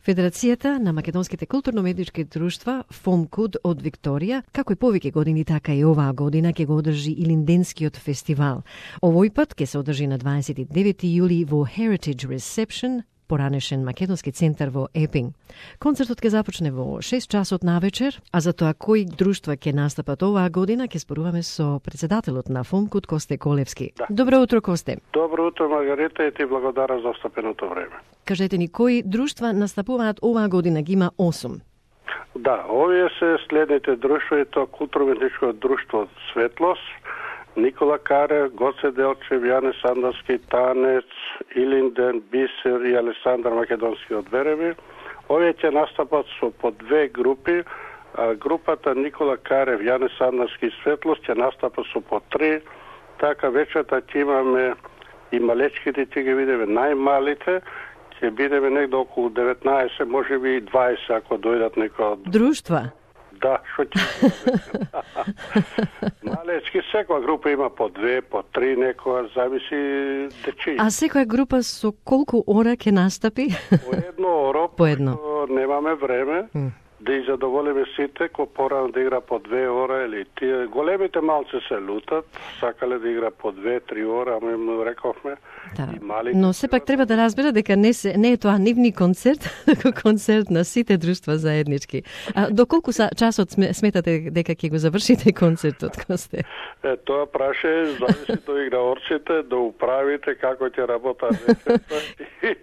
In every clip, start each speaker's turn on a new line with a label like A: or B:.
A: Федерацијата на македонските културно-медички друштва ФОМКУД од Викторија, како и повеќе години, така и оваа година ќе го одржи Илинденскиот фестивал. Овој пат ќе се одржи на 29 јули во Heritage Reception, поранешен македонски центар во Епинг. Концертот ќе започне во 6 часот навечер, а за тоа кои друштва ќе настапат оваа година ќе споруваме со председателот на ФОМКУД Косте Колевски.
B: Да.
A: Добро утро, Косте.
B: Добро утро, Маргарита, и ти благодарам за остапеното време.
A: Кажете ни, кои друштва настапуваат оваа година? Ги има 8.
B: Да, овие се следните друштва, и тоа културно-медичко друштво Светлост, Никола Карев, Гоце Делчев, Јане Сандарски, Танец, Илинден, Бисер и Александар Македонски од Вереви. Овие ќе настапат со по две групи. Групата Никола Карев, Јане Сандарски и Светлост ќе настапат со по 3. Така вечерта ќе имаме и малечките, ќе ги видиме најмалите, ќе бидеме негде околу 19, може би и 20 ако дојдат некој од
A: Друштва?
B: Да, што ќе малечки, секоја група има по 2, по 3, некоја, зависи дечи.
A: А секоја група со колку ора ќе настапи?
B: По едно оро,
A: По едно.
B: Немаме време да ги задоволиме сите, кој порано да игра по 2 ора, или тие големите малци се лутат, сакале да игра по 2-3 ора, ама им рековме.
A: Да.
B: И малите,
A: Но сепак треба да разбера дека не е тоа нивни концерт, како концерт на сите друштва заеднички. А до колку часот сметате дека ќе го завршите концертот, Косте?
B: Тоа праше зависи до играорците, до управите, како ќе работат вечерта и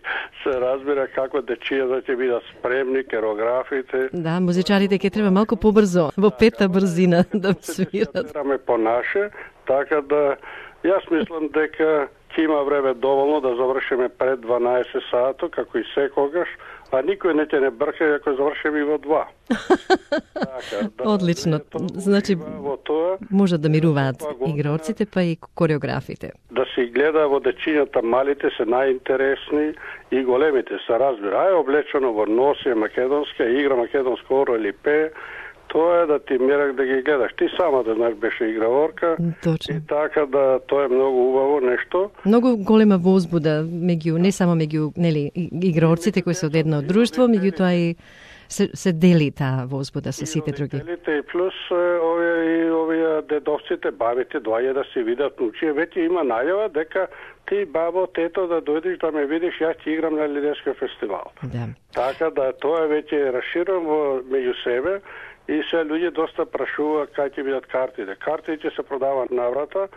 B: се разбира како дечијата ќе бидат спремни, керографите.
A: Да, музичарите ќе треба малку побрзо, во пета брзина да свират.
B: Ќе по наше, така да јас мислам дека ќе има време доволно да завршиме пред 12 сато, како и секогаш, а никој не ќе не брка ако завршиме и во 2. Така, да,
A: Одлично. Значи,
B: во тоа,
A: можат да мируваат игрорците, па и кореографите.
B: Да се гледа во дечињата, малите се најинтересни и големите се разбира. Ај облечено во носија македонска, игра македонско оро или пее, тоа е да ти мерак да ги гледаш. Ти сама да знаеш, беше играорка.
A: Точно.
B: И така да тоа е многу убаво нешто.
A: Многу голема возбуда меѓу не само меѓу играорците кои се од едно друштво, меѓутоа и се дели таа возбуда со сите други.
B: Делите и плюс овие дедовците, бабите доаѓа да се видат внучија. Веќе има најава дека ти, бабо, тето, да дојдеш да ме видиш, јас ќе играм на Илинденскиот фестивал.
A: Да.
B: Така да тоа веќе расширено меѓу себе. И се луѓе доста прашуваат кај ќе бидат картите. Картите ќе се продаваат наврата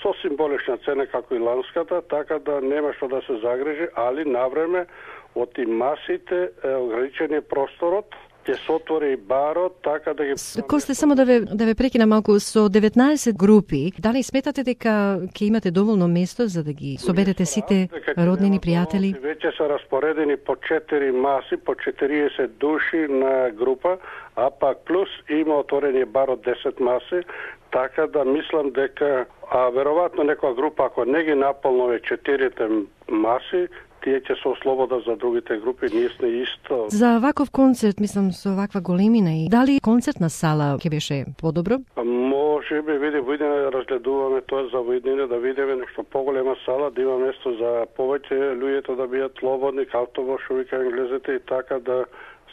B: со символична цена како и ланската, така да нема што да се загрижи, али навреме од и масите ограничен е просторот, ќе се отвори и барот, така да ги...
A: Косте, само да ве прекина малку, со 19 групи, дали сметате дека ќе имате доволно место за да ги соберете сите роднини, пријатели?
B: Веќе се распоредени по 4 маси, по 40 души на група, а пак плюс има отворени бар од 10 маси, така да мислам дека, веројатно некоја група, ако не ги наполнове 4 маси, тие ќе се ослободат за другите групи, ние сме исто.
A: За ваков концерт, мислам, со ваква големина и дали концертна сала ќе беше подобро?
B: Може би, видиме, разгледуваме тоа за видине, да видиме нешто поголема сала, да има место за повеќе луѓето да бидат слободни, автобус, што вика англезите, и така да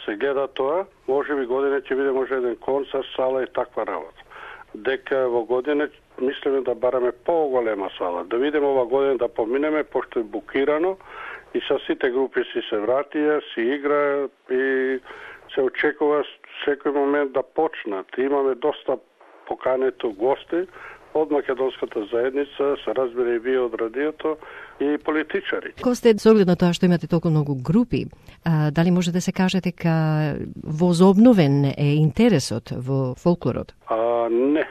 B: се гледа тоа. Може би година ќе биде може еден концерт, сала и таква работа. Дека во година мислиме да бараме поголема сала, да видиме ова година да поминеме, пошто е букирано, и со сите групи си се вратија, си играат и се очекува секој момент да почнат. Имаме доста покането гости од македонската заедница, се разбира и вие од радиото, и политичари.
A: Косте, со оглед на тоа што имате толку многу групи, дали може да се каже дека возобновен е интересот во фолклорот?
B: Не.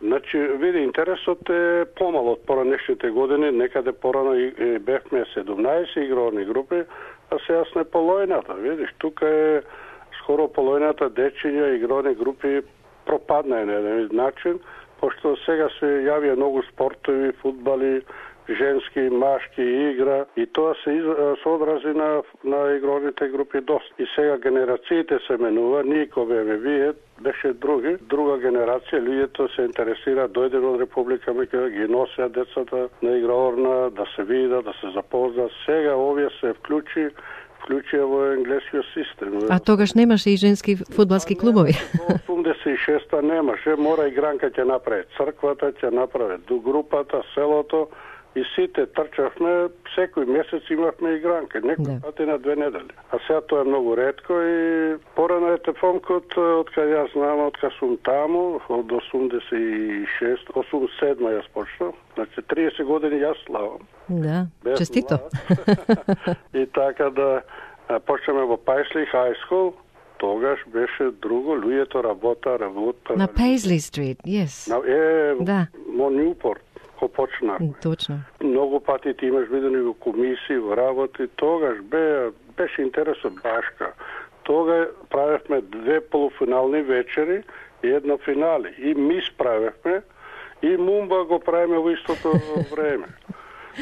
B: Значи, види, интересот е помал од поранешните години, некаде порано бевме 17 игрорни групи, а сега сме полојната. Видиш, тука е скоро полојната дечиња игрорни групи пропадна на еден начин, пошто сега се јавија многу спортови, фудбали, женски, машки игра, и тоа се одрази на игрорните групи доста. И сега генерациите се менува, ние кој беме вие, беше друга генерација, луѓето се интересира, дојде од Република Македонија, ги носеа децата на играорна, да се видат, да се запознаат. Сега овие се вклучи вклучија во енглескиот систем.
A: А тогаш немаше и женски фудбалски клубови?
B: Во 86-та немаше, мора игранка ќе направи црквата, ќе направи групата, селото, и сите трчавме, секој месец имавме игранка, некој пати на 2 недели. А сега тоа е многу ретко и порано е Фомкот, откај јас знам, откај сум таму, од 86, 87 јас почнав, значи 30 години јас славам.
A: Да, честито.
B: И така да почнеме во Пайсли High School, тогаш беше друго, луѓето работа.
A: На Пейсли Стрит, yes.
B: Да. Во Ньюпорт. Почнах.
A: Точно.
B: Многу пати ти имаш видени во комисии, во работи, тогаш беше интересно башка. Тога правевме 2 полуфинални вечери и едно финале. И мис правевме и мумба го правиме во истото време.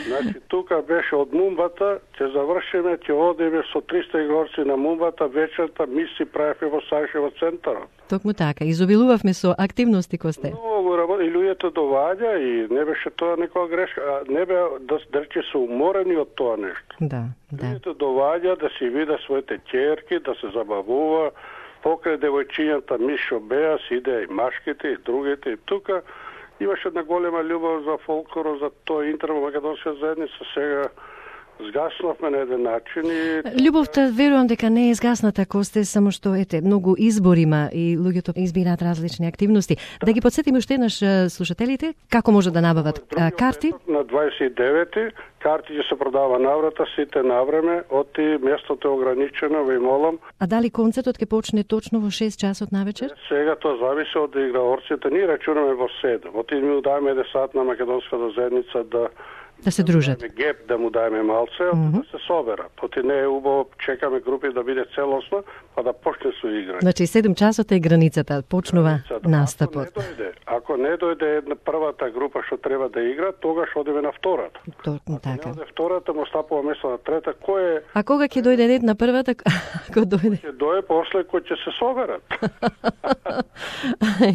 B: Значи, тука беше од мумбата, ќе завршиме, ќе одиме со 300 игрорци на мумбата, вечерта миси правевме во Сајшево центарот.
A: Токму така, изобилувавме со активности кој сте.
B: Многу работа, и луѓето доваѓа и не беше тоа некоја грешка, не бе да рече се уморени од тоа нешто.
A: Да.
B: Луѓето доваѓа да си вида своите ќерки, да се забавува, покрај девојчињата мишо беа, си иде и машките и другите и тука. Имаше една голема љубов за фолклорот, за тој интерно македонска заедница, сега згаснавме на еден начин и...
A: Љубовта, верувам дека не е згасната, Косте, само што, многу избор има и луѓето избираат различни активности. Да ги подсетиме уште еднаш слушателите, како може да набават карти?
B: На 29-ти, карти ќе се продава наврата, сите навреме, оти местото е ограничено, ви молам.
A: А дали концертот ќе почне точно во 6 часот навечер?
B: Сега тоа зависи од играорците, ние рачунаме во 7. Оти ми даваме 1 сат на македонската заедница
A: да се дружат.
B: Геп да му дајме малце, да се соберат. Оти не е убаво, чекаме групи да биде целосно, па да почне со играње.
A: Значи 7 часот е границата, почнува настапот.
B: Ако не дојде една првата група што треба да игра, тогаш одиме на втората.
A: Точно така.
B: Ако не втората, му стапува место на трета, кој е...
A: А кога ќе дојде ред на првата, ако дојде?
B: Ќе дојде после кој ќе се соберат.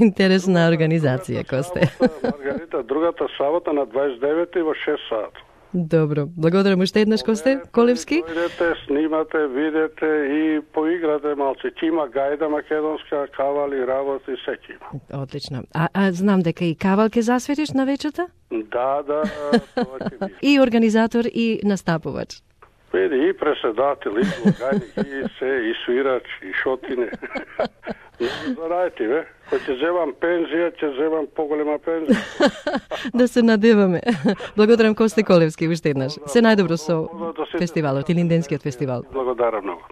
A: Интересна организација, Косте.
B: Маргарита, другата сабота на 29 во 6 сат.
A: Добро. Благодарам уште еднаш, Косте Колевски.
B: Дојдете, снимате, видете и поиграте малце. Ќе има гајда македонска, кавали, работи, секи има.
A: Отлично. А знам дека и кавал ќе засветиш на вечерта?
B: Да, тоа ќе биде.
A: И организатор и настапувач.
B: Види, и преседател, и блоганик, и се, и свирач, и шотине. Зарајте, бе. Кој ќе земам пензија, ќе земам поголема пензија.
A: Да се надеваме. Благодарам, Косте Колевски, уште еднаш. Се најдобро со фестивалот, Илинденскиот фестивал.
B: Благодарам многу.